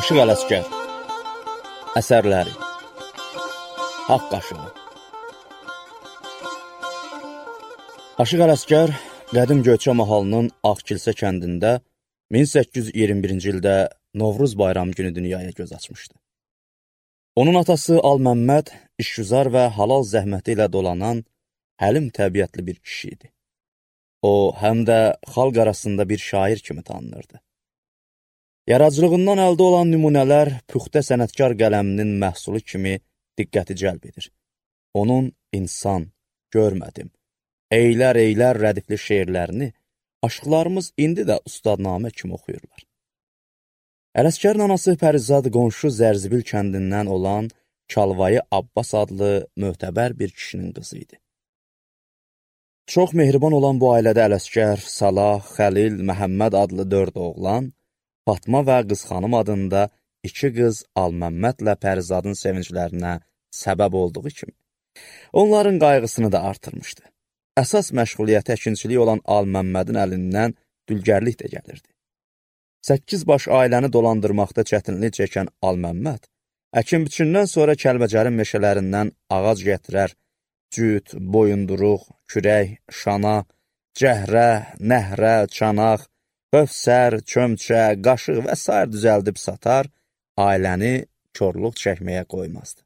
Aşıq Ələsgər Əsərləri Haqq Aşığı Aşıq Ələsgər qədim Göyçə mahalının Ağkilsə kəndində 1821-ci ildə Novruz bayramı günü dünyaya göz açmışdı. Onun atası Al-Məmməd işgüzar və halal zəhməti ilə dolanan həlim təbiətli bir kişi idi. O, həm də xalq arasında bir şair kimi tanınırdı. Yaradıcılığından əldə olan nümunələr püxtə sənətkar qələminin məhsulu kimi diqqəti cəlb edir. Onun insan, görmədim, eylər rədifli şeirlərini aşıqlarımız indi də ustadnamə kimi oxuyurlar. Ələsgərin anası Pərizad qonşu Zərzibil kəndindən olan Çalvayı Abbas adlı möhtəbər bir kişinin qızı idi. Çox mehriban olan bu ailədə Ələsgər, Salah, Xəlil, Məhəmməd adlı 4 oğlan, Fatma və Qızxanım adında 2 qız Al-Məmmədlə Pərizadın sevinclərinə səbəb olduğu kimi, onların qayğısını da artırmışdı. Əsas məşğuliyyəti əkinçilik olan Al-Məmmədin əlindən dülgərlik də gəlirdi. 8 baş ailəni dolandırmaqda çətinlik çəkən Al-Məmməd, əkin-biçindən sonra Kəlbəcərin meşələrindən ağac gətirər, cüt, boyunduruq, kürək, şana, cəhrə, nəhrə, çanaq, hövsər, çömçə, qaşıq və s. düzəldib satar, ailəni korluq çəkməyə qoymazdı.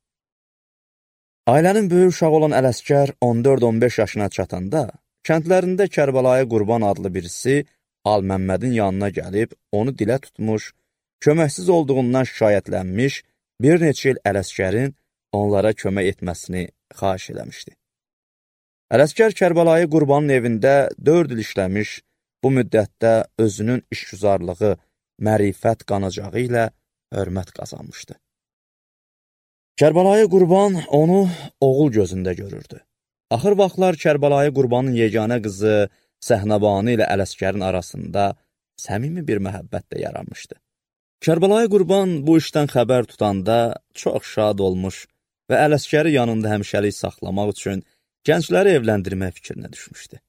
Ailənin böyük uşağı olan Ələsgər 14-15 yaşına çatanda, kəndlərində Kərbəlayı Qurban adlı birisi Al-Məmmədin yanına gəlib, onu dilə tutmuş, köməksiz olduğundan şikayətlənmiş, bir neçə il Ələsgərin onlara kömək etməsini xahiş eləmişdi. Ələsgər Kərbəlayı Qurbanın evində 4 il işləmiş, bu müddətdə özünün işgüzarlığı, mərifət qanacağı ilə hörmət qazanmışdı. Kərbəlayı Qurban onu oğul gözündə görürdü. Axır vaxtlar Kərbəlayı Qurbanın yeganə qızı Səhnəbanı ilə Ələsgərin arasında səmimi bir məhəbbət də yaranmışdı. Kərbəlayı Qurban bu işdən xəbər tutanda çox şad olmuş və Ələsgəri yanında həmişəlik saxlamaq üçün gəncləri evləndirmək fikrinə düşmüşdü.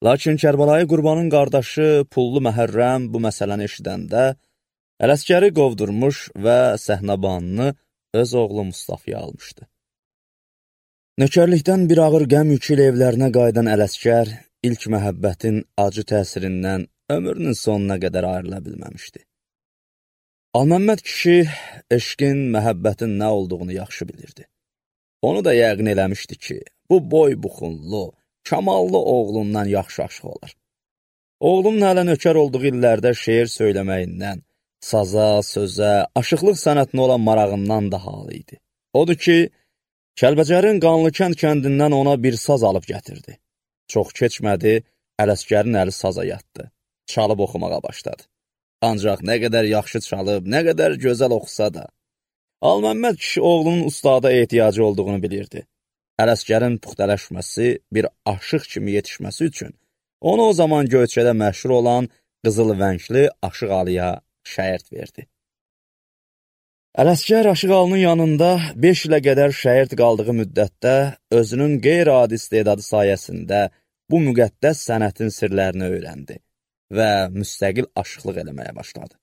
Lakin Kərbəlayı Qurbanın qardaşı Pullu Məhərrəm bu məsələni eşidəndə Ələsgəri qovdurmuş və Səhnəbanını öz oğlu Mustafaya almışdı. Nökərlikdən bir ağır qəm yükü ilə evlərinə qayıdan Ələsgər ilk məhəbbətin acı təsirindən ömrünün sonuna qədər ayrıla bilməmişdi. Al-Məmməd kişi eşqin, məhəbbətin nə olduğunu yaxşı bilirdi. Onu da yəqin eləmişdi ki, bu boy buxunlu, kamallı oğlundan yaxşı aşıq olar. Oğlunun hələ nökər olduğu illərdə şeir söyləməyindən, saza, sözə, aşıqlıq sənətinə olan marağından da halı idi. Odur ki, Kəlbəcərin Qanlıkənd kəndindən ona bir saz alıb gətirdi. Çox keçmədi, Ələsgərin əli saza yatdı, çalıb oxumağa başladı. Ancaq nə qədər yaxşı çalıb, nə qədər gözəl oxusa da, Al-Məmməd kişi oğlunun ustada ehtiyacı olduğunu bilirdi. Ələsgərin puxtələşməsi, bir aşıq kimi yetişməsi üçün onu o zaman Göyçədə məşhur olan Qızıl Vəngli Aşıq Alıya şərt verdi. Ələsgər Aşıq Alının yanında 5 ilə qədər şərt qaldığı müddətdə özünün qeyri-adi istedadı sayəsində bu müqəddəs sənətin sirlərini öyrəndi və müstəqil aşıqlıq eləməyə başladı.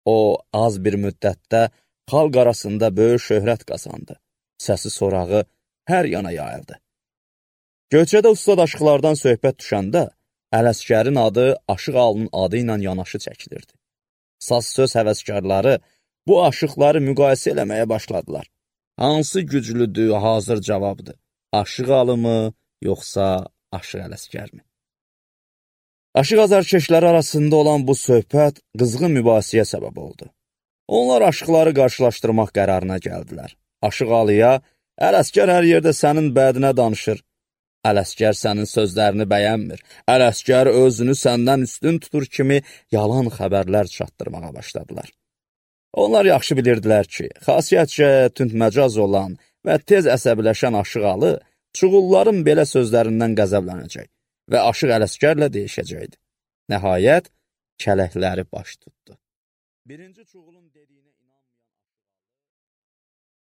O, az bir müddətdə xalq arasında böyük şöhrət qazandı. Səsi sorağı hər yana yayıldı. Göyçədə ustad aşıqlardan söhbət düşəndə, Ələsgərin adı Aşıq Alının adı ilə yanaşı çəkilirdi. Saz söz həvəskarları bu aşıqları müqayisə eləməyə başladılar. Hansı güclüdür, hazır cavabdır? Aşıq Alı mı, yoxsa Aşıq Ələsgər mi? Aşıq azarkeşləri arasında olan bu söhbət qızğın mübahisəyə səbəb oldu. Onlar aşıqları qarşılaşdırmaq qərarına gəldilər. Aşıq Alıya, Ələsgər hər yerdə sənin bədinə danışır. Ələsgər sənin sözlərini bəyənmir. Ələsgər özünü səndən üstün tutur kimi yalan xəbərlər çatdırmağa başladılar. Onlar yaxşı bilirdilər ki, xasiyyətcə tündməcaz olan və tez əsəbiləşən Aşıq Alı çuğulların belə sözlərindən qəzəblənəcək və Aşıq Ələsgərlə deyişəcəkdi. Nəhayət, kələkləri baş tutdu. Birinci çuğulun dediyinə